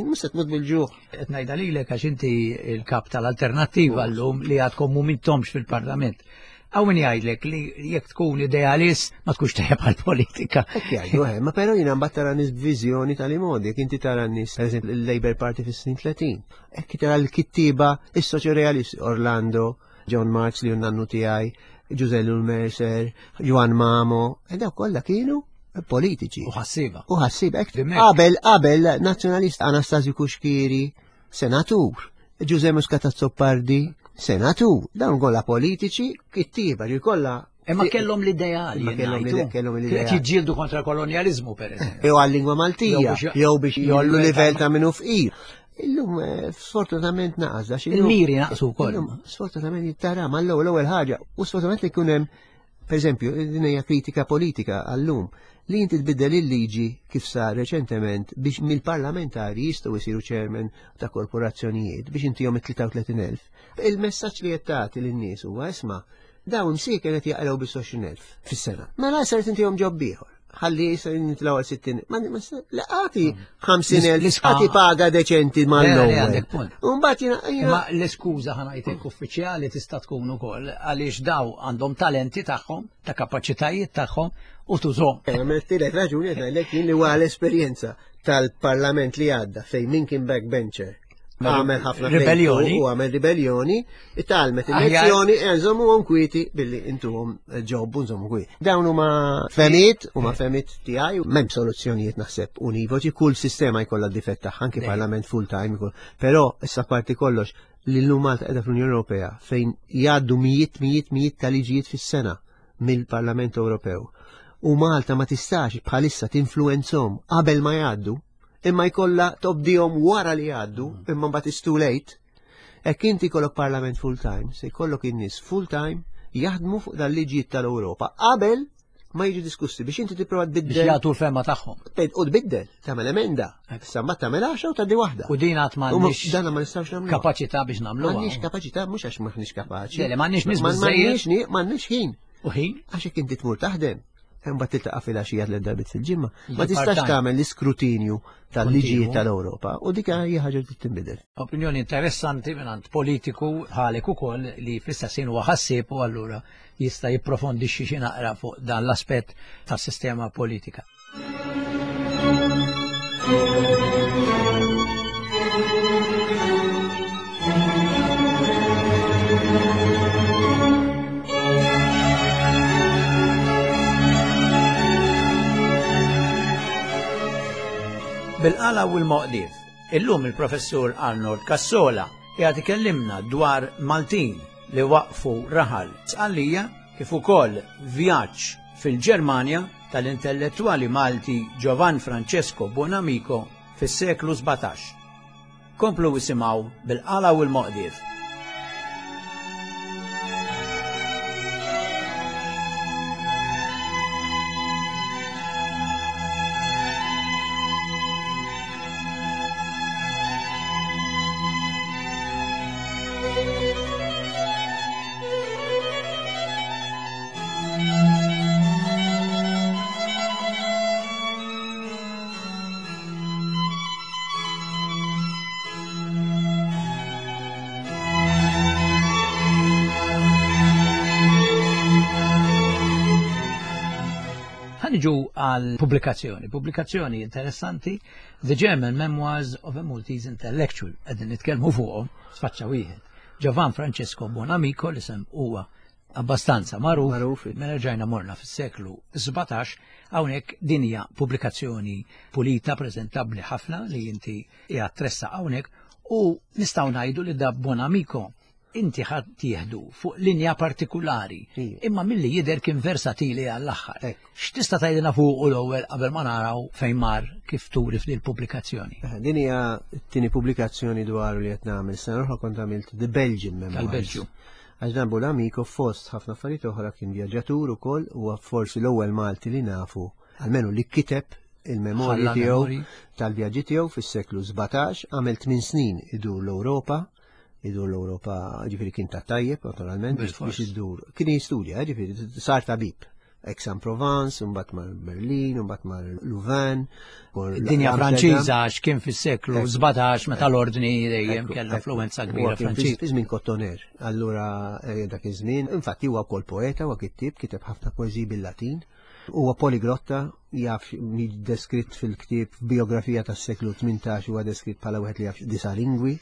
Mhux se tmut bil-ġuħ. Qed ngħidha lilek għax inti l-kap tal-alternattiva llum li għadkom m'intomx fil-Parlament. Hawn min jgħidlek li jekk tkun idealist ma tkunx tajjeb għall-politika. Hekk jgħidu, eh, ma però jiena mbagħad tara nies b'viżjoni tal-imodi, jekk inti tara nies pereżempju il-Labour Party fis-snin 30, hekk tara l-kittieba is-soċjorealisti Orlando, John Marx li nannu tiegħi, Ġużè Mercer, Juan Mamo, e dawk kollha kienu politiċi. U ħassiba. U ħassiba. Qabel, qabel, nazzjonalist Anastasio Kuxkiri, senatur. Ġuże Muscat Azzopardi, senatur. Dawn kollha politiċi, kittiba, ġi kollha Imma kellhom l-ideali. Imma kellhom l-ideali. Qed jiġġieldu kontra kolonjaliżmu pereżempju. Jew għal-lingwa Maltija, jew biex jollu livell ta' minnu fqir. Illum eh, sfortunatament naqas għax Il-miri naqsu wkoll. Sfortunatament jittara mal-ewwel ewwel ħaġa u sfortunatament li jkun hemm Per eżempju, din hija kritika politika għallum li inti tbiddel il-liġi kif sar reċentement biex mill-parlamentari jistgħu jsiru chairman ta' korporazzjonijiet biex intihom it-33,000. Il-messaġġ li qed tagħti lin-nies huwa isma' dawn msieken qed jaqraw bis 20,000 fis-sena. Mela ser intihom ġob ieħor ħalli jisa nitlaw għal 60. Ma laqati 50.000 għati paga deċenti ma l-ewwel. Mbagħad jiena Ma l-iskuża ħanajtek uffiċjali tista' tkun ukoll għaliex daw għandhom talenti tagħhom, ta' kapaċitajiet tagħhom u tużhom. Għamiltilek raġuni qed ngħidlek jien li huwa l-esperjenza tal-parlament li għadda fejn min kien backbencher għamel ħafna ribellioni u għamel ribellioni, talmet il-lezzjoni e nżommu għom kwieti billi intuhom ġob u nżommu kwieti. Dawn huma femiet, huma femiet tiegħi, m'hemm soluzzjonijiet naħseb univoċi, kull sistema jkollha difett tagħha, anki parlament full time jkoll. Però issa parti kollox li llum Malta qiegħda fl-Unjoni Ewropea fejn jgħaddu mijiet mijiet mijiet ta' liġijiet fis-sena mill-Parlament Ewropew. U Malta ma tistax bħalissa tinfluenzhom qabel ma jgħaddu imma jkollha tobdihom wara li jgħaddu, mm. imma mbagħad is too late. Hekk inti jkollok parlament full time, se jkollok in-nies full time jaħdmu fuq dal-liġijiet tal-Ewropa qabel ma jiġu diskussi biex inti tipprova tbiddel. Biex jagħtu l-fema tagħhom. U tbiddel, tagħmel emenda. Issa mbagħad tagħmel għaxa u tgħaddi waħda. U din għad m'għandniex. Dan ma nistgħux nagħmlu. Kapaċità biex nagħmlu. M'għandniex kapaċità mhux għax m'aħniex kapaċi. Le, m'għandniex nies M'għandniex m'għandniex ħin. U ħin? Għax jekk inti tmur taħdem. Imbagħad tiltaqa' filgħaxija tliet darbiet fil-ġimgħa. Ma tistax tagħmel l-iskrutinju tal-liġijiet tal-Ewropa u dik hija ħaġa li tinbidel. Opinjoni interessanti mingħand politiku bħalek ukoll li fl-istess ħin huwa ħassieb u allura jista' jipprofondixxi xi naqra fuq dan l-aspett tas-sistema politika. Bil-qala u l-moqdief, illum il-professur Arnold Cassola qiegħed ikellimna dwar Maltin li waqfu raħal Sqallija kif ukoll vjaġġ fil-Ġermanja tal-intellettwali Malti Giovan Francesco Buonamico fis-seklu 17. Komplu isimgħu bil-qala u l-moqdief. Ħaniġu għal pubblikazzjoni, pubblikazzjoni interessanti, The German Memoirs of a Maltese Intellectual, qegħdin nitkellmu fuqhom, sfaċċa wieħed. Giovan Francesco Buonamico li sem huwa abbastanza magħruf, magħruf. Mela ġajna morna fis-seklu 17, hawnhekk din hija pubblikazzjoni pulita, preżentabbli ħafna li inti qiegħed tressa hawnhekk u nistgħu ngħidu li da Bonamico inti ħadd tieħdu fuq linja partikulari, imma milli jidher kien versatili għall-aħħar. X'tista' tgħidilna fuq u l-ewwel qabel ma naraw fejn mar kif turi f'din pubblikazzjoni? Eh, din hija t-tieni pubblikazzjoni dwar li qed nagħmel sena oħra kont għamilt The Belgian Memoirs. Tal-Belġju. Għax dan Buonamico fost ħafna affarijiet oħra kien vjaġġatur ukoll u forsi l-ewwel Malti li nafu, almenu li kiteb il-memorji tiegħu tal-vjaġġi tiegħu fis-seklu 17, għamel 8 snin idur l-Ewropa, idur l-Ewropa, ġifieri kien ta' tajjeb naturalment biex idur. Kien jistudja, ġifieri sar tabib. Aix-en-Provence, mbagħad mar Berlin, mbagħad mar Louvain. Dinja Franċiża għax kien fis-seklu 17 meta l-ordni dejjem kellha influenza kbira Franċiża. Fi żmien Kottoner, allura eh, dak iż-żmien, infatti huwa wkoll poeta, huwa kittib, kiteb ħafna poeżiji bil-Latin. Huwa poliglotta, jaf deskritt fil-ktieb f'biografija tas-seklu 18 huwa deskritt bħala wieħed li jaf disa' lingwi.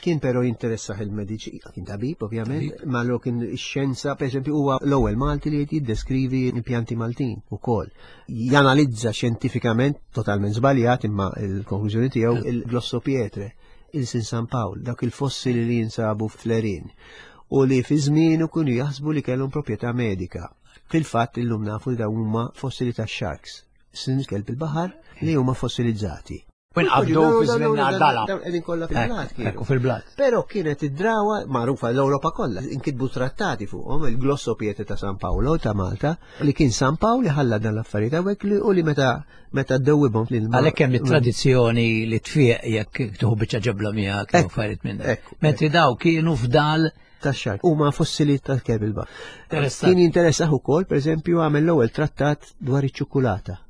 Kien però jinteressah il-mediċina, kien tabib ovvjament, ma lo kien ix-xjenza, pereżempju huwa l-ewwel Malti li jiddeskrivi l-pjanti Maltin ukoll. Janalizza xjentifikament, totalment żbaljat imma l-konklużjoni tiegħu il-glossopietre, il-Sin San Pawl, dak il-fossili li jinsabu fl-Erin u li fi żmienu kienu jaħsbu li kellhom proprjetà medika. Fil-fatt illum nafu li dawn huma fossili ta' sharks, sin kelb il-baħar li huma fossilizzati. Inqabdu fi żmien dala. Qegħdin kollha fil-blat kienu. Ekku fil-blat. Però kienet id-drawa magħrufa l-Ewropa kollha, inkitbu trattati fuqhom il-Glossopiete ta' San Paolo ta' Malta, li kien San Pawl li ħalla dan l-affarijiet hawnhekk li u li meta meta ddewwibhom lil Għalhekk hemm it-tradizzjoni li tfieq jekk tieħu biċċa ġebla miegħek jew affarijiet minn. Mentri daw kienu fdal tax-xark huma fossili tal-kelb il-baħar. Kien jinteressah ukoll, pereżempju, għamel l-ewwel trattat dwar iċ-ċukulata.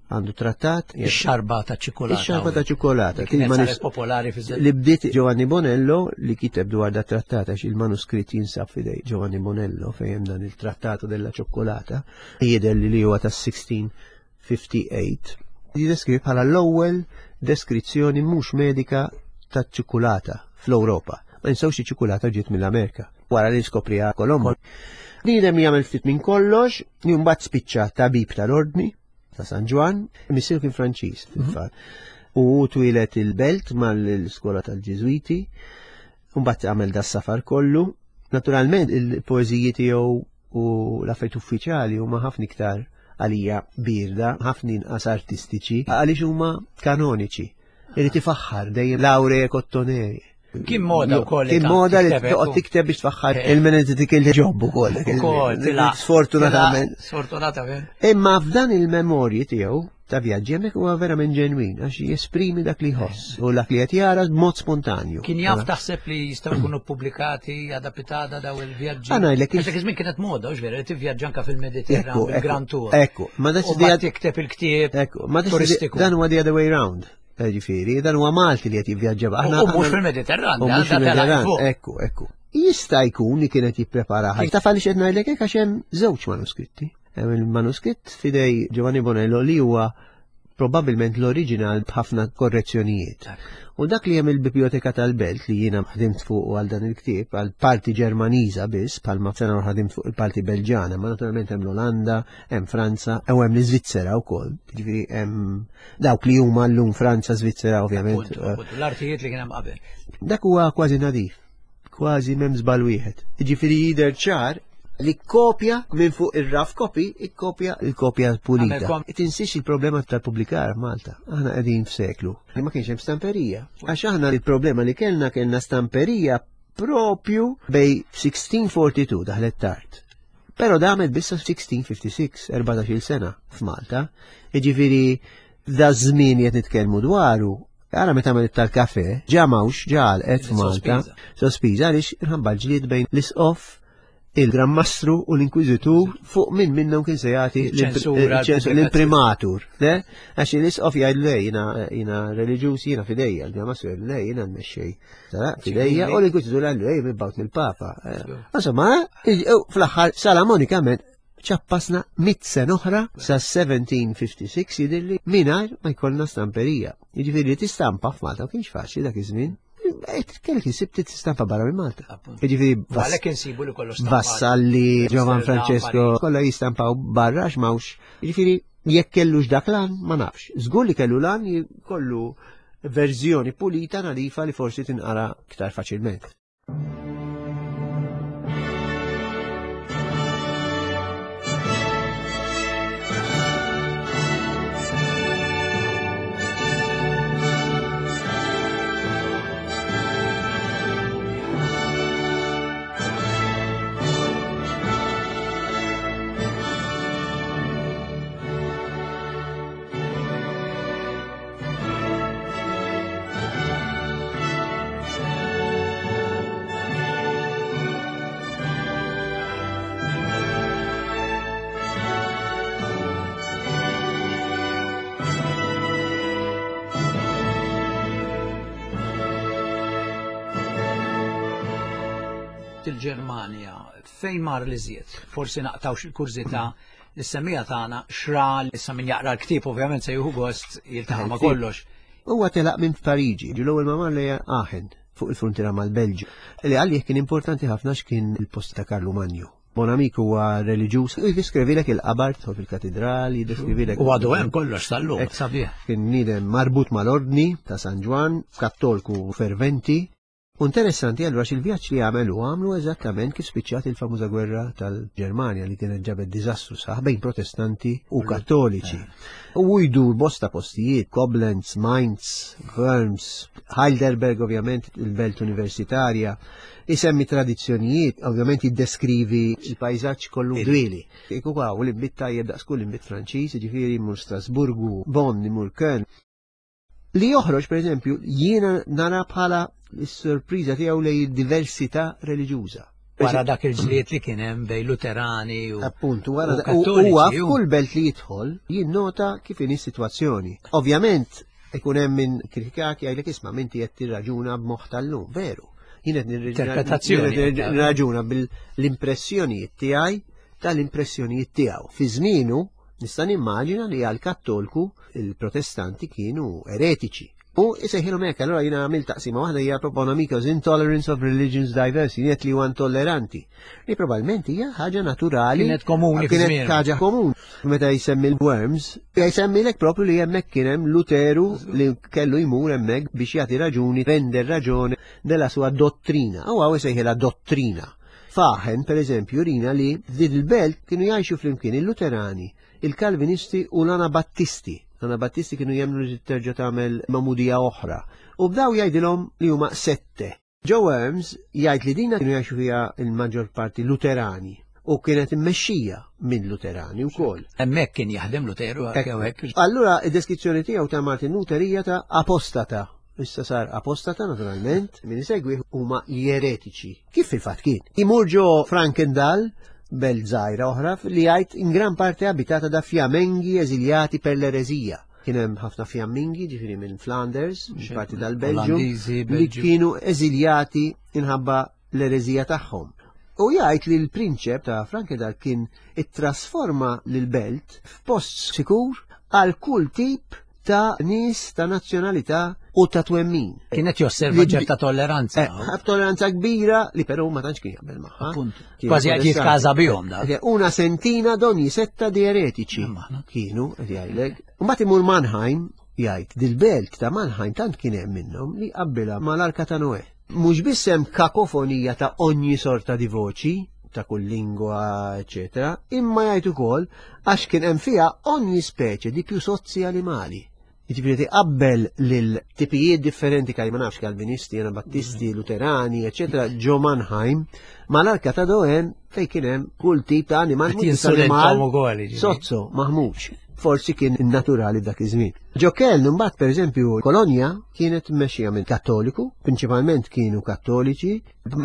Għandu trattat. Ix-xarba ta' ċikolata. Ix-xarba ta' ċikolata. Kien saret popolari fi Li bdiet Giovanni Bonello li kiteb dwar da trattat għax il-manuskritt jinsab fidej Giovanni Bonello fejn hemm dan il-trattato della ċokolata jidher li huwa tas-1658. Jideskrivi bħala l-ewwel deskrizzjoni mhux medika taċ-ċikulata fl-Ewropa. Ma ninsewx li ċikulata ġiet mill-Amerika wara li skopriha Kolombo. Bniedem jagħmel ftit minn kollox, li mbagħad spiċċa tabib tal-ordni ta' San Ġwann, missier kien Franċiż fil-fatt. Mhm. U twilet il-belt mal-iskola tal-Ġiżwiti, mbagħad għamel da safar kollu. Naturalment il-poeżiji tiegħu u l-affarijiet uffiċjali huma ħafna iktar għalija birda, ħafna inqas artistiċi, għaliex huma kanoniċi. Irid ifaħħar dejjem laure kottoneri. Kien moda wkoll. Kien moda li toqgħod tikteb biex tfaħħar eh. il-minn dik il-ġob ukoll. Ukoll, sfortunatament. Sfortunatament. Imma f'dan il-memorji tiegħu, ta' vjaġġi hemmhekk huwa verament ġenwin għax jesprimi dak li jħoss u dak li qed jara b'mod spontanju. Kien jaf taħseb li jistgħu jkunu ppubblikati għada pitada daw il-vjaġġi. Għana jlek Għax dak iż-żmien kienet moda, hux vera, li tivvjaġġa anke fil-Mediterran bil-Grand Tour. Ekku, ma dak tikteb il-ktieb Ekku, ma turistiku. Dan huwa the other way round. Eh, ġifieri, dan huwa Malti li qed jivvjaġġa aħna. U mhux fil-Mediterran, u mhux fil-Mediterran. Ekku, ekku. Jista' jkun li kienet jipprepara ħaj. Taf għaliex qed ngħidlek hekk għax hemm żewġ manuskritti. Hemm il-manuskritt fidej Giovanni Bonello li huwa probabbilment l-oriġinal b'ħafna korrezzjonijiet. U dak li hemm il-Biblioteka tal-Belt li jiena ħdimt fuq għal dan il-ktieb, għal parti Ġermaniża biss, bħalma sena ħadimt fuq il-parti Belġana, ma naturalment hemm l-Olanda, hemm Franza, u hemm l-Iżvizzera wkoll. Jiġifieri hemm dawk li huma llum Franza, Svizzera ovvjament. L-artijiet li kien hemm qabel. Dak huwa kważi nadif kważi m'hemm żball wieħed. Jiġifieri jidher ċar li kopja minn fuq ir-rough copy, ikkopja il-kopja pulita. Tinsiex il-problema tal-publikar Malta. Aħna qegħdin f'seklu li ma kienx hemm stamperija. Għax aħna il-problema li kellna kellna stamperija propju bej 1642 daħlet tard. Pero damet bissa 1656, 14 sena f'Malta. Jiġifieri da żmien qed nitkellmu dwaru Ara meta għamel tal-kafe, ġa mawx, ġa għalqet f'Malta, sospiża għaliex inħabba l-ġlied bejn l-isqof, il-Gran Mastru u l-Inkwiżitur fuq min minnhom kien se jagħti l-imprimatur. Għax l-isqof jgħid le jiena jiena reliġjuż jiena fidejja, il-Gran Mastru jgħid le jiena mmexxej. Fidejja u l-Inkwiżitur jgħid le mibgħut mill-Papa. Insomma, fl-aħħar Salamonikament ċappasna mit sena oħra sa 1756 jidhirli mingħajr ma jkollna stamperija. Jiġifieri li tistampa f'Malta ma kienx faċli dak iż-żmien. Kellek insib tistampa barra minn Malta. Jiġifieri għalhekk insibu li kollox stampa. Vassalli, Giovan Francesco, kollha jistampaw barra għax m'hawnx. Jiġifieri jekk kellux dak lan ma nafx. Żgur li kellu lan kollu verżjoni pulita nadifa li forsi tinqara iktar faċilment. Il-Ġermanja fejn mar li żied? Forsi naqtaw xi kurżità Is-semmiegħa tagħna xra issa min jaqra l-ktieb ovvjament se jieħu gost jiltaqa' ma' kollox. Huwa telaq minn Pariġi, ġi l-ewwel ma mar lejha Aachen fuq il-fruntiera mal-Belġju, li għalih kien importanti ħafna x'kien il-post ta' Karlu Manju. Bonamico huwa reliġjuż, u jiddeskrivilek il-qabar tidħol fil-katidral, jiddeskrivilek. U għadu hemm kollox sal-lum, sabiħ. Kien bniedem marbut mal-ordni ta' San Ġwann, kattolku ferventi, U interessanti allura x'il-vjaġġ li għamel hu għamlu eżattament kif spiċċat il-famuża gwerra tal-Ġermanja li kienet ġabet diżastru saħ bejn protestanti u kattoliċi. U jdur bosta postijiet, Koblenz, Mainz, Worms, Heidelberg ovvjament il-belt universitarja, isemmi tradizzjonijiet, ovvjament jiddeskrivi il-pajzaġġ kollu dwieli. Iku għaw l-imbit tajjeb daqs kull imbit Franċiż, ġifieri mur Strasburgu, Bonn, imur Köln. Li joħroġ, per eżempju, jiena nara bħala s-sorpriża tiegħu lej diversità reliġjuża. Wara dak il-ġlied li kien hemm bejn Luterani u Appuntu, wara huwa f'kull belt li jidħol jinnota kif inhi s-sitwazzjoni. Ovvjament, ikun hemm min kritikak jgħidlek isma' minti qed tirraġuna b'moħħ tal-lum, veru. Jien qed nirraġuna bil-impressjonijiet tiegħi tal-impressjonijiet tiegħu. Fi żmienu Nista' nimmaġina li għal kattolku il-protestanti kienu eretiċi. U isejħilhom hekk, allura jiena għamilt taqsima waħda hija Bonamico's Intolerance of Religions Diversity, niet li huwa intolleranti. Li probabbilment hija ħaġa naturali. Kienet komuni. Kienet ħaġa komuni. Meta jsemmi l-worms, jsemmi lek propju li hemmhekk kien hemm Luteru li kellu jmur hemmhekk biex jagħti raġuni, render raġone della sua dottrina. U għaw isejħilha dottrina. F'Aachen, per eżempju, rina li f'din il-belt kienu jgħixu flimkien il-Luterani, il-Kalvinisti u l-Anabattisti. L-Anabattisti kienu jemmnu li terġa' tagħmel magħmudija oħra. U bdaw jgħidilhom li huma sette. Joe Worms jgħid li dina kienu jgħixu fiha il-maġġor parti Luterani. U kienet immexxija minn Luterani wkoll. Hemmhekk kien jaħdem Luteru hekk. Allura id-deskrizzjoni tiegħu ta' Martin Luther hija ta' apostata. Issa sar apostata naturalment, min isegwi huma l-eretiċi. Kif fil-fatt kien? Imur ġo Frankendal, belt żgħira oħra li jgħid in gran parte abitata da fjamengi eżiljati per l-erezija. Kien hemm ħafna fjammingi, ġifieri minn Flanders, parti tal-Belġju, li kienu eżiljati inħabba l-ereżija tagħhom. U jgħid li l-prinċep ta' Frankedal kien ittrasforma l-belt f'post sikur għal kull tip ta' nies ta' nazzjonalità u ta' twemmin. Kienet josserva ċerta tolleranza. Eh, tolleranza kbira li però ma tantx kien jaqbel magħha. Kważi qed jitkaża bihom da. Eh, una sentina d'ogni setta di eretiċi kienu qed jgħidlek. Mbagħad imur Mannheim jgħid dil-belt ta' Mannheim tant kien hemm minnhom li qabbilha mal-Arka ta' Noè. Mhux biss hemm kakofonija ta' ogni sorta di voċi, ta' kull lingwa, eċetera, imma jgħid ukoll għax kien hemm fiha ogni speċe di più sozzi animali. Jiġifieri tiqabbel lil tipijiet differenti kaj ma nafx Kalvinisti, Anabattisti, Luterani, eċetera, ġo Mannheim, mal-arka ta' Doen fejn kien hemm kull tip ta' animal, animal sozzo, maħmuġ. Forsi kien naturali dak iż-żmien. Ġo Keln imbagħad pereżempju Kolonja kienet mmexxija minn Kattoliku, prinċipalment kienu Kattoliċi,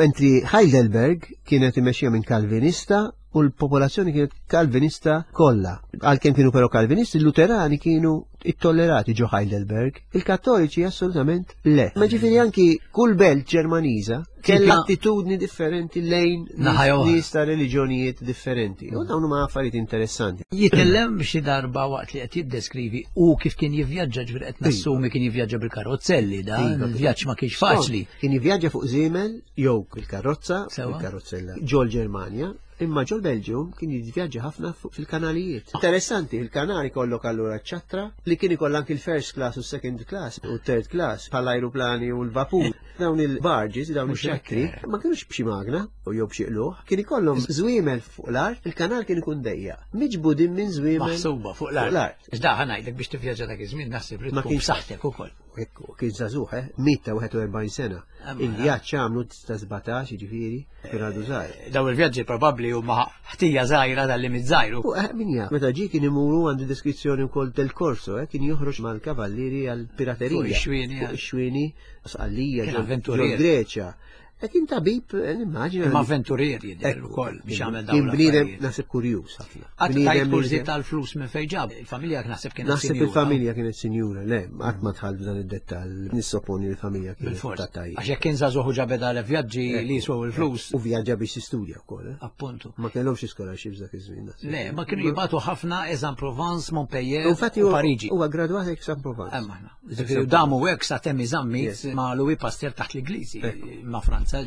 mentri Heidelberg kienet immexxija minn Kalvinista u l-popolazzjoni kienet Kalvinista kollha. Għalkemm kienu però Kalvinisti, l-Luterani kienu ittollerati ġo Heidelberg, il-Kattoliċi assolutament le. Ma ġifieri anki kull belt Ġermaniża Kella attitudni differenti lejn nies ta' reliġjonijiet differenti. U dawn huma affarijiet interessanti. Jitkellem xi darba waqt li qed jiddeskrivi u kif kien jivvjaġġa ġifieri qed nassumi kien jivvjaġġa bil-karozzelli da, iva, il-vjaġġ ma kienx faċli. Kien jivvjaġġa fuq żiemel jew bil-karozza, bil-karozzella ġol Ġermanja, Imma ġol Belġium kien jivvjaġġa ħafna fil-kanalijiet. Interessanti, il-kanali kollok allura ċattra li kien ikoll anki l-first class u second class u third class bħal ajruplani u l-vapur. Dawn il-barges, dawn il-ċattri, ma kienux b'xi magna u jew b'xi qluħ, kien ikollhom żwiemel fuq l-art, il-kanal kien ikun dejja. Miġbudin minn żwiemel. Maħsuba fuq l-art. Iżda ħa ngħidlek biex tivvjaġġa dak iż-żmien naħseb li tkun b'saħħtek ukoll. Ekku, kien żagħżugħ, eh? 141 sena. Il-vjaġġ għamlu ta' 17, jiġifieri, kien għadu żgħir. Daw il-vjaġġi probabbli huma ħtija żgħira tal-limit żgħir. U eh, min jaf, meta ġie kien imuru għandu deskrizzjoni wkoll del Corso, eh, kien joħroġ mal-kavallieri għall-piraterija. Fuq ix-xwieni. Fuq ix-xwieni, Sqallija, ġol Greċja. E kien tabib, eh, nimmaġina. Ma avventurier jidher ukoll biex jagħmel dawn. Kien bniedem naħseb kurjuż ħafna. Qatt tajt kurżi tal-flus minn fejn ġab. Il-familja naħseb kienet Naħseb il-familja kienet sinjura, le, qatt ma dħalt f'dan id-dettall. Nissoponi l-familja kienet ta' tajjeb. Għax jekk kien żagħżugħ u ġabed għal vjaġġi li jiswew il-flus. U vjaġġa biex jistudja wkoll. Eh? Appuntu. Ma kellhomx scholarships dak iż-żmien. Le, ma kienu jibgħatu ħafna Aix-en-Provence, Montpellier u Pariġi. Huwa gradwat Aix-en-Provence. Ġifieri damu hekk sa temm iżammit ma' Louis Pasteur taħt l-Ingliżi ma' Franza.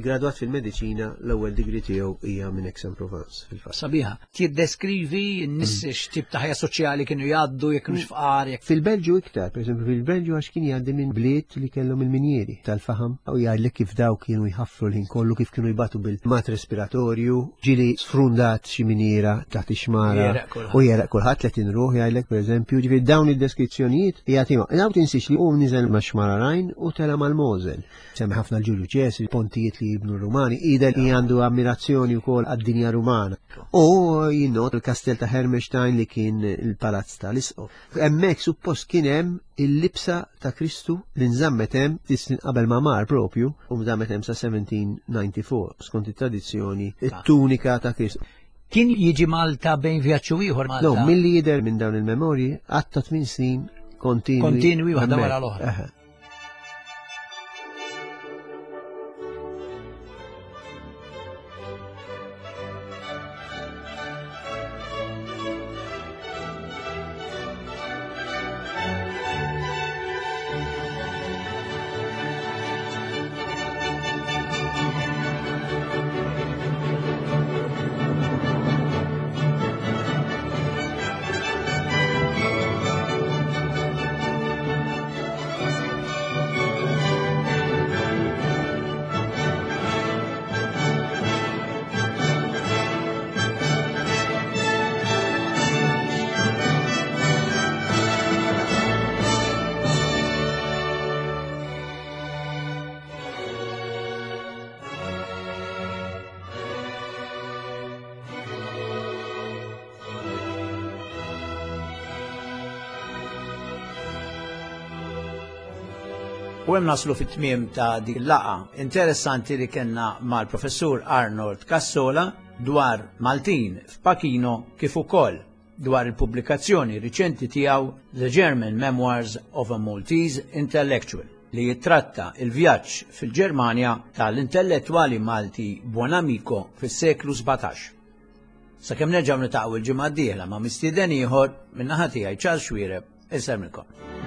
Gradwat fil-mediċina l-ewwel degree tiegħu hija minn Aix-en-Provence fil-fatt. Sabiħa. Tiddeskrivi n-nies mm. x'tip ta' ħajja soċjali kienu jgħaddu jekk kienux fqar. Fil-Belġju iktar, pereżempju fil-Belġju għax kien jgħaddi minn bliet li kellhom il-minjieri tal-faħam u jgħidlek kif daw kienu jħaffru l-ħin kollu kif kienu jbatu bil-mat respiratorju, ġili sfrundat xi miniera taħt ix-xmara u jeraq kulħadd 30 ruħ jgħidlek pereżempju, ġifieri dawn id-deskrizzjonijiet jagħtihom. Dawn tinsiex li hu niżel max-xmara Rajn u tela' mal-Mosel. Semmi ħafna l-Ġulju Ċesri, pontijiet li jibnu r-Rumani, jidher li għandu ammirazzjoni wkoll għad-dinja Rumana. U jinnot il-kastell ta' Hermestein li kien il-palazz tal-isqof. Hemmhekk suppost kien hemm il-libsa ta' Kristu li nżammet hemm snin qabel ma mar propju u nżammet hemm sa 1794 skont it-tradizzjoni it-tunika ta' Kristu. Kien jiġi Malta bejn vjaġġ u ieħor Malta? No, milli jidher minn dawn il-memorji għatta tmien snin kontinwi. Kontinwi waħda wara l-oħra. U hemm naslu fit-tmiem ta' dik il-laqgħa interessanti li kellna mal-Professur Arnold Cassola dwar Maltin f'Pachino kif ukoll dwar il-pubblikazzjoni riċenti tiegħu The German Memoirs of a Maltese Intellectual li jittratta il-vjaġġ fil-Ġermanja tal-intellettwali Malti Buonamico fis-seklu 17. Sakemm nerġgħu nitaqgħu il-ġimgħa d-dieħla ma' mistieden ieħor, min-naħa tiegħi Charles Xuereb, insellmilkom.